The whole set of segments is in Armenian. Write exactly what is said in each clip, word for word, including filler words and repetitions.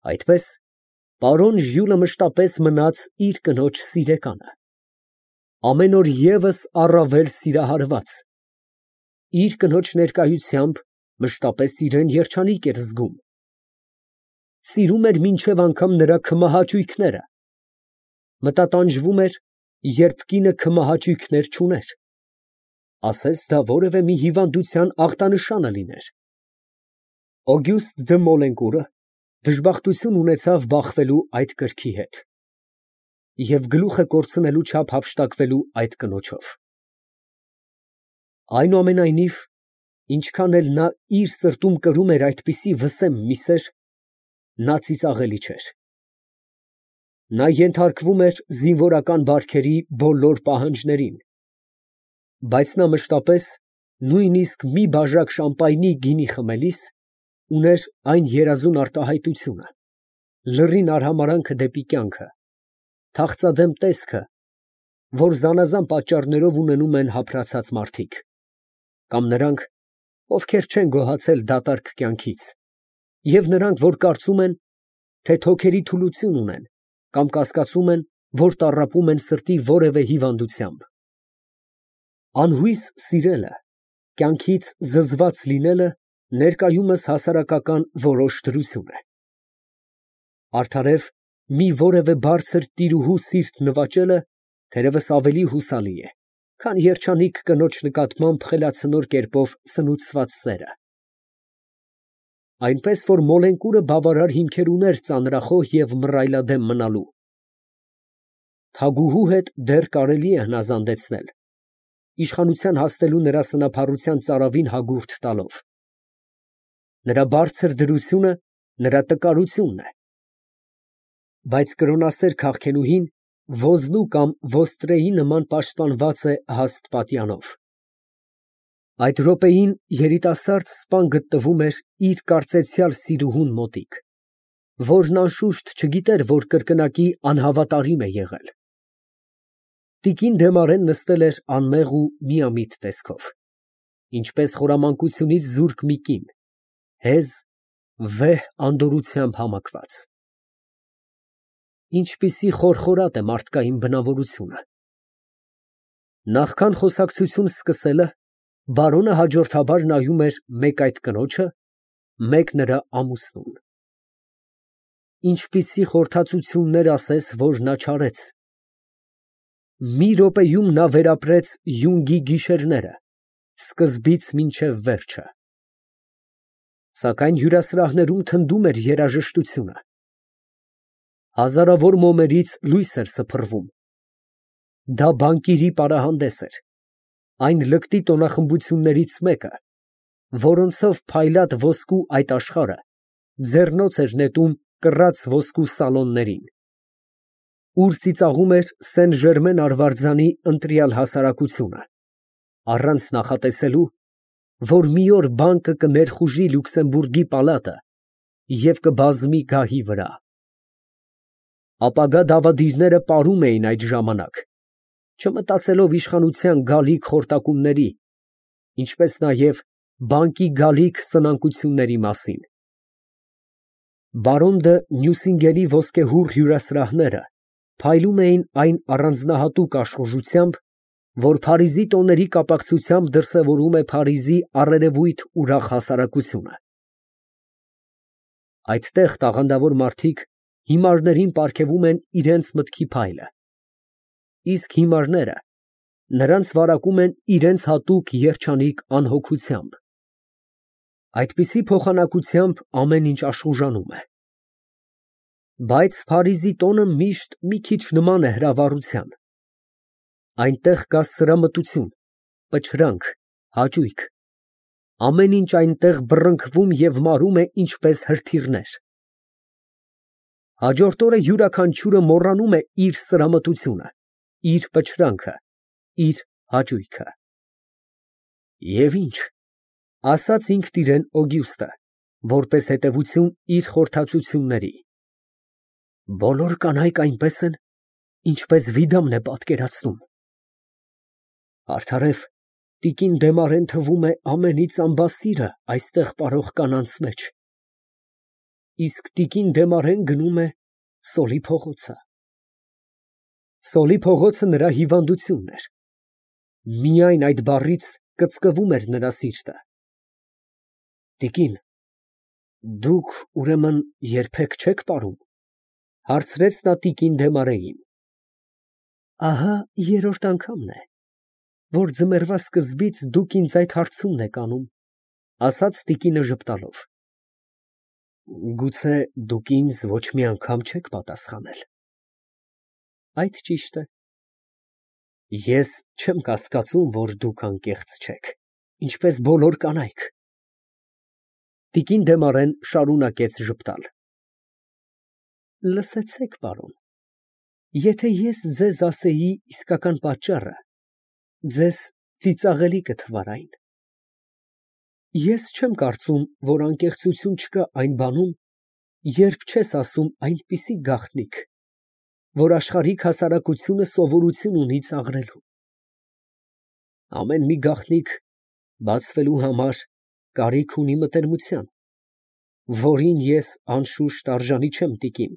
Այդպես պարոն Ժյուլը մշտապես մնաց իր կնոջ սիրեկանը, ամեն օր ևս առավել սիրահարված, իր կնոջ ներկայությամբ մշտապես իրան երջանիկ էր զգում, սիրում էր մինչև անգամ նրա քմահաճույքները, մտատանջվում էր, երբ կինը քմահաճույքներ չուներ, ասես դա որևէ մի հիվանդության ախտանշանը լիներ։ Օգյուստը դը Մոլենկուրը դժբախտություն ունեցավ բախվելու այդ կրքի հետ և գլուխը կորցնելու չափ հափշտակվելու այդ կնոջով։ Այնուամենայնիվ, ինչքան էլ նա իր սրտում կրում էր այդպիսի վսեմ մի սեր, նա ծիծաղելի չէր։ Նա ենթարկվում էր զինվորական բարքերի բոլոր պահանջներին, բայց նա մշտապես, նույնիսկ մի բաժակ շամպայնի գինի խմելիս, ուներ այն երազուն արտահայտությունը, լռին արհամարհանքը դեպի կյանքը, թախծադեմ տեսքը, որ զանազան պատճառներով ունենում են հափրացած մարդիկ, կամ նրանք, ովքեր չեն գոհացել դատարկ կյանքից, և նրանք, որ կարծում են, թե թոքերի թուլություն ունեն, կամ կասկածում են, որ տառապում են սրտի որևէ հիվանդությամբ։ Անհույս սիրելը, կյանքից զզված լինելը ներկայումս հասարակական որոշ դրություն է։ Արդարև, մի որևէ բարձր տիրուհու սիրտ նվաճելը թերևս ավելի հուսալի է, քան երջանիկ կնոջ նկատմամբ խելացնոր կերպով սնուցված սերը։ Այնպես որ Մոլենկուրը բավարար հիմքեր ուներ ծանրախոհ և մռայլադեմ մնալու։ Թագուհու հետ դեռ կարելի է հնազանդեցնել, իշխանության հասնելու նրա սնափառության ծարավին հագուրդ տալով։ Նրա բարձր դրությունը նրա տկարությունն է, բայց կրոնասեր քաղցնուհին ոզնու կամ ոստրեի նման պաշտպանված է հաստ պատյանով։ Այդ րոպեին երիտասարդ սպան գտնվում էր իր կարծեցյալ սիրուհուն մոտիկ, որն անշուշտ չգիտեր, որ կրկնակի անհավատարիմ է եղել։ Տիկին Դեմարեն նստել էր անմեղ ու միամիտ տեսքով, ինչպես խորամանկությունից զուրկ մի կին, հեզ, վեհ անդորրությամբ համակված։ Ինչպիսի խորխորատ է մարդկային բնավորությունը։ Նախքան խոսակցություն սկսելը, բարոնը հաջորդաբար նայում էր մեկ այդ կնոջը, մեկ նրա ամուսնուն։ Ինչպիսի խորհրդածություններ ասես, որ նա չարեց։ Մի րոպեում նա վերապրեց յունգի գիշերները, սկզբից մինչև վերջը։ Սակայն հյուրասրահներում թնդում էր երաժշտությունը։ Հազարավոր մոմերից լույս էր սփռվում։ Դա բանկիրի պարահանդես էր, այն լկտի տոնախմբություններից մեկը, որոնցով փայլատ ոսկու այդ աշխարհը ձեռնոց էր նետում կռած ոսկու սալոններին, ուր ծիծաղում էր Սեն Ժերմեն արվարձանի ընտրյալ հասարակությունը, առանց նախատեսելու, որ մի օր բանկը կներխուժի Լյուքսեմբուրգի պալատը և կբազմի գահի վրա։ Ապագա դավադիրները պարում էին այդ ժամանակ, չմտածելով իշխանության գալիք խորտակումների, ինչպես նաև բանկի գալիք սնանկությունների մասին։ Բարոն դը Նյուսինգենի ոսկեհուռ հյուրասրահները փայլում էին այն առանձնահատուկ աշխուժությամբ, որ Փարիզի տոների կապակցությամբ դրսևորում է Փարիզի առերևույթ ուրախ հասարակությունը։ Այդտեղ տաղանդավոր մարդիկ հիմարներին պարգևում են իրենց մտքի փայլը, իսկ հիմարները նրանց վարակում են իրենց հատուկ երջանիկ անհոգությամբ։ Այդպիսի փոխանակությամբ ամեն ինչ աշխուժանում է։ Բայց Փարիզի տոնը միշտ մի քիչ նման է հրավառության։ Այնտեղ կա սրամտություն, պչրանք, հաճույք, ամեն ինչ այնտեղ բռնկվում և մարում է ինչպես հրթիռներ։ Հաջորդ օրը յուրաքանչյուրը մոռանում է իր սրամտությունը, իր պչրանքը, իր հաճույքը։ Եվ ինչ, ասաց ինքն իրան Օգյուստը, որպես հետևություն իր խորհրդածությունների, բոլոր կանայք այնպես են, ինչպես Վիդամն է պատկերացնում։ Արդարև, տիկին Դեմարեն թվում է ամենից ամբասիրը այստեղ պարող կանանց մեջ։ իսկ տիկին Դեմարեն գնում է Սոլի փողոցը։ Սոլի փողոցը նրա հիվանդությունն էր։ Միայն այդ բառից կծկվում էր նրա սիրտը։ Տիկին, դուք, ուրեմն, երբեք չեք պարում, ֊ հարցրեց նա տիկին Դեմարեին։ Ահա երրորդ անգամն է, որ ձմեռվա սկզբից դուք ինձ այդ հարցումն եք անում, ֊ ասաց տիկինը ժպտալով։ Գուցե դուք ինձ ոչ մի անգամ չեք պատասխանել։ Այդ ճիշտ է։ Ես չեմ կասկածում, որ դուք անկեղծ չեք, ինչպես բոլոր կանայք։ Տիկին Դեմարեն շարունակեց ժպտալ։ Լսեցեք, պարոն, եթե ես ձեզ ասեի իսկական պատճառը, ձեզ ծիծաղելի կթվար այն։ Ես չեմ կարծում, որ անկեղծություն չկա այն բանում, երբ չես ասում այնպիսի գաղտնիք, որ աշխարհիկ հասարակությունը սովորություն ունի ծաղրելու։ Ամեն մի գաղտնիք բացվելու համար կարիք ունի մտերմության, որին ես անշուշտ արժանի չեմ, տիկին։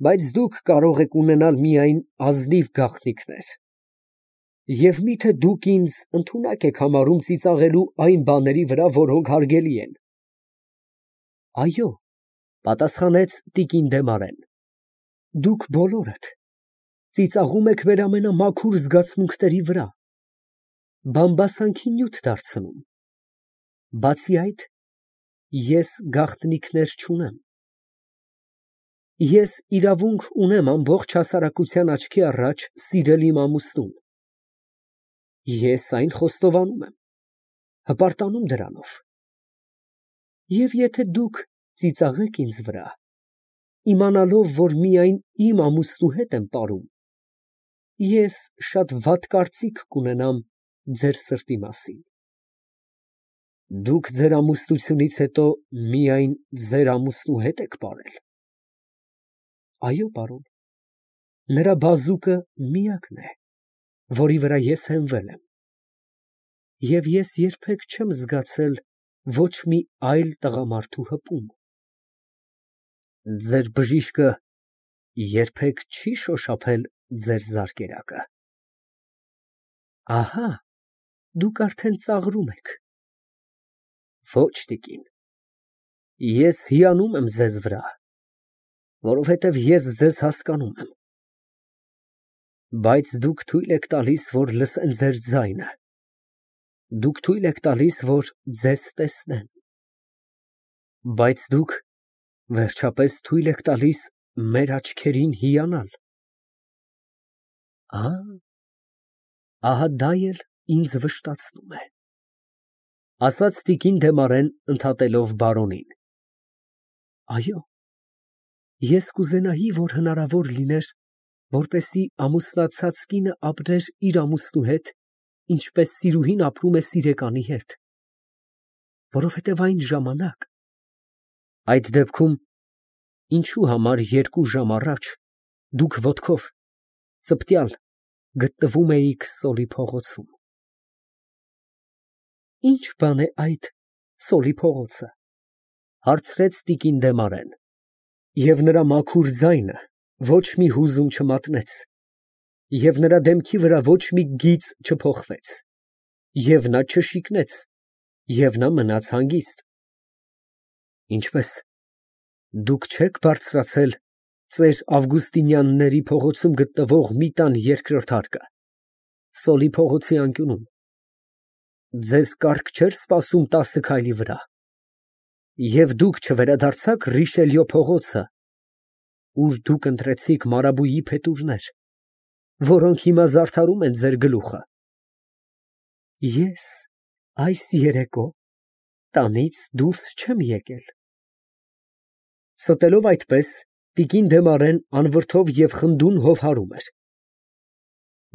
Բայց դուք կարող եք ունենալ միայն ազնիվ գաղտնիքներ։ Եվ միթե դուք ինձ ընդունակ եք համարում ծիծաղելու այն բաների վրա, որոնք հարգելի են։ Այո, պատասխանեց տիկին Դեմարեն, դուք բոլորդ ծիծաղում եք մեր ամենամաքուր զգացմունքների վրա, բամբասանքի նյութ դարձնում։ Բացի այդ, ես գաղտնիքներ չունեմ։ Ես իրավունք ունեմ ամբողջ հասարակության աչքի առաջ սիրել իմ ամուսնուն։ Ես այն խոստովանում եմ, հպարտանում դրանով։ Եվ եթե դուք ծիծաղեք ինձ վրա, իմանալով, որ միայն իմ ամուսնու հետ եմ պարում, ես շատ վատ կարծիք կունենամ ձեր սրտի մասին։ Դուք ձեր ամուսնությունից հետո միայն ձեր ամուսնու հետ եք պարել։ Այո, պարոն, նրա բազուկը միակն է, որի վրա ես հենվել եմ։ Եվ ես երբեք չեմ զգացել ոչ մի այլ տղամարդու հպում։ Ձեր բժիշկը երբեք չի շոշափել ձեր զարկերակը։ Ահա, դուք արդեն ծաղրում եք։ Ոչ, տիկին, ես հիանում եմ ձեզ վրա, որովհետև ես ձեզ հասկանում եմ։ Բայց դուք թույլ եք տալիս, որ լսեն ձեր ձայնը։ Դուք թույլ եք տալիս, որ ձեզ տեսնեն։ Բայց դուք, վերջապես, թույլ եք տալիս մեր աչքերին հիանալ։ Ա, ահա դա էլ ինձ վշտացնում է, ֊ ասաց տիկին Դեմարեն ընդհատելով բարոնին։ Այո, ես կուզենայի, որ հնարավոր լիներ, որպեսզի ամուսնացած կինը ապրեր իր ամուսնու հետ, ինչպես սիրուհին ապրում է սիրեկանի հետ, որովհետև այն ժամանակ, այդ դեպքում, ինչու համար երկու ժամ առաջ դուք ոտքով ծպտյալ գտնվում էիք Սոլի փողոցում։ Ի՞նչ բան է այդ Սոլի փողոցը, ֊ հարցրեց տիկին Դեմարեն, և նրա մաքուր ձայնը ոչ մի հուզում չմատնեց, և նրա դեմքի վրա ոչ մի գիծ չփոխվեց, և նա չշիկնեց, և նա մնաց հանգիստ։ Ինչպե՞ս, դուք չեք բարձրացել ծեր Ավգուստինյանների փողոցում գտնվող մի տան երկրորդ հարկը, Սոլի փողոցի անկյունում, ձեզ կառք չէր սպասում տասը քայլի վրա, և դուք չվերադարձաք Ռիշելյո փողոցը, ուր դուք ընտրեցիք մարաբույի փետուրներ, որոնք հիմա զարդարում են ձեր գլուխը։ Ես այս երեկո տանից դուրս չեմ եկել։ Ստելով այդպես, տիկին Դեմարեն անվրդով և խնդուն հովհարում էր։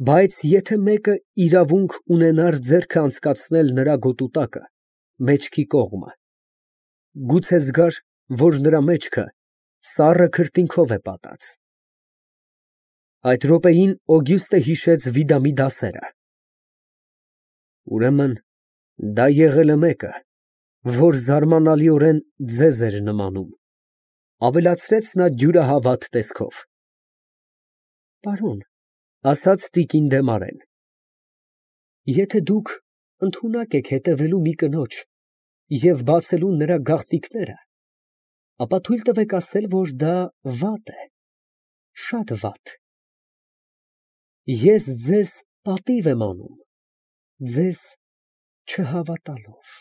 Բայց եթե մեկը իրավունք ունենար ձեռքը անցկացնել նրա գոտու տակը, մեջքի կողմը, գուցե զգար, որ նրա մեջքը սառը քրտինքով է պատած։ Այդ րոպեին Օգյուստը հիշեց Վիդամի դասերը։ Ուրեմն դա եղել է մեկը, որ զարմանալիորեն ձեզ էր նմանում, ավելացրեց նա դյուրահավատ տեսքով։ Պարոն, ասաց տիկին Դեմարեն, եթե դուք ընդունակ եք հետևելու մի կնոջ և բացելու նրա գաղտնիքները, ապա թույլ տվեք ասել, որ դա վատ է, շատ վատ։ Ես ձեզ պատիվ եմ անում, ձեզ չհավատալով։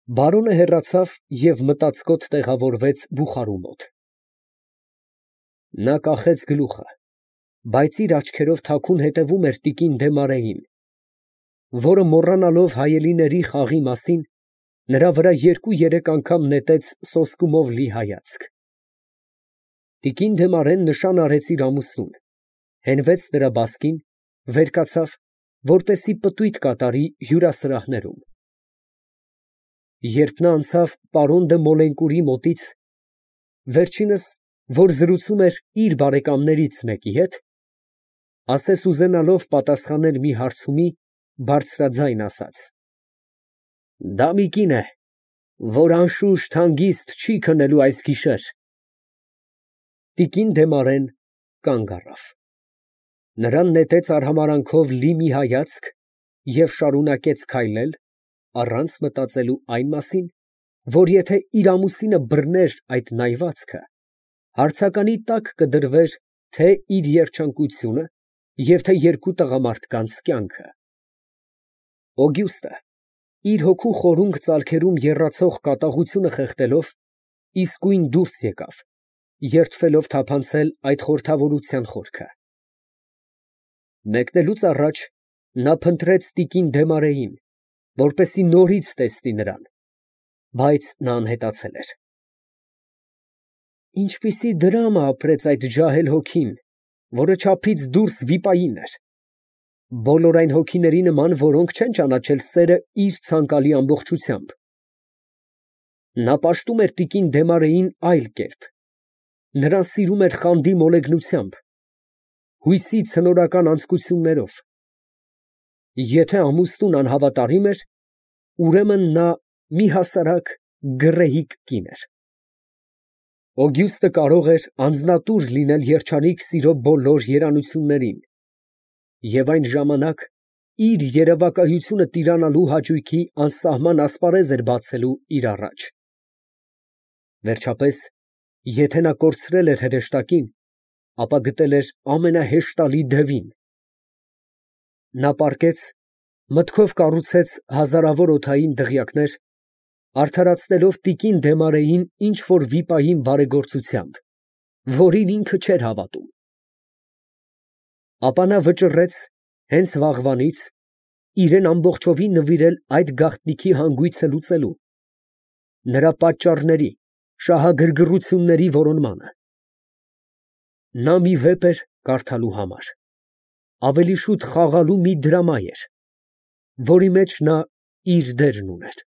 Բարոնը հեռացավ և մտածկոտ տեղավորվեց բուխարու մոտ։ Նա կախեց գլուխը, բայց իր աչքերով թաքուն հետևում էր տիկին Դեմարեին, որը մոռանալով հայելիների խաղի մասին, նրա վրա երկու֊երեք անգամ նետեց սոսկումով լի հայացք։ Տիկին Դեմարեն նշան արեց իր ամուսնուն, հենվեց նրա բասկին, վեր կացավ, որպեսզի պտույտ կատարի հյուրասրահներում։ Երբ նա անցավ պարոն դը Մոլենկուրի մոտից, վերջինս, որ զրուցում էր իր բարեկամներից մեկի հետ, ասես ուզենալով պատասխանել մի հարցումի, բարձրաձայն ասաց. Դա մի կին է, որ անշուշտ հանգիստ չի քնելու այս գիշեր։ Տիկին Դեմարեն կանգ առավ։ Նրան նետեց արհամարանքով լի մի հայացք և շարունակեց քայլել, առանց մտածելու այն մասին, որ եթե իր ամուսինը բռներ այդ նայվածքը, հարցականի տակ կդրվեր թե իր երջանկությունը և թե երկու տղամարդկանց կյանքը։ Օգյուստը, իր հոգու խորունկ ծալքերում եռացող կատաղությունը խեղդելով, իսկույն դուրս եկավ, երդվելով թափանցել այդ խորհրդավորության խորքը։ Մեկնելուց առաջ նա փնտրեց տիկին Դեմարեին, որպեսզի նորից տեսնի նրան, բայց նա անհետացել էր։ Ինչպիսի դրամա ապրեց այդ ջահել հոգին, որը չափից դուրս վիպային էր, բոլոր այն հոգիների նման, որոնք չեն ճանաչել սերը իր ցանկալի ամբողջությամբ։ Նա պաշտում էր տիկին Դեմարեին այլ կերպ, նրան սիրում էր խանդի մոլեգնությամբ, հույսի ցնորական անձկություններով։ Եթե ամուսնուն անհավատարիմ էր, ուրեմն նա մի հասարակ գռեհիկ կին էր։ Օգյուստը կարող էր անձնատուր լինել երջանիկ սիրո բոլոր երանություններին և այն ժամանակ իր երևակայությունը տիրանալու հաճույքի անսահման ասպարեզ էր բացելու իր առաջ։ Վերջապես, եթե նա կորցրել էր հրեշտակին, ապա գտել էր ամենահեշտալի դևին։ Նա պառկեց, մտքով կառուցեց հազարավոր օդային դղյակներ, արդարացնելով տիկին Դեմարեին ինչ֊որ վիպային բարեգործությամբ, որին ինքը չէր հավատում։ Ապա նա վճռեց հենց վաղվանից իրան ամբողջովին նվիրել այդ գաղտնիքի հանգույցը լուծելու, նրա պատճառների, շահագրգռությունների որոնմանը։ Նա մի վեպ էր կարդալու համար, ավելի շուտ խաղալու մի դրամա էր, որի մեջ նա իր դերն ուներ։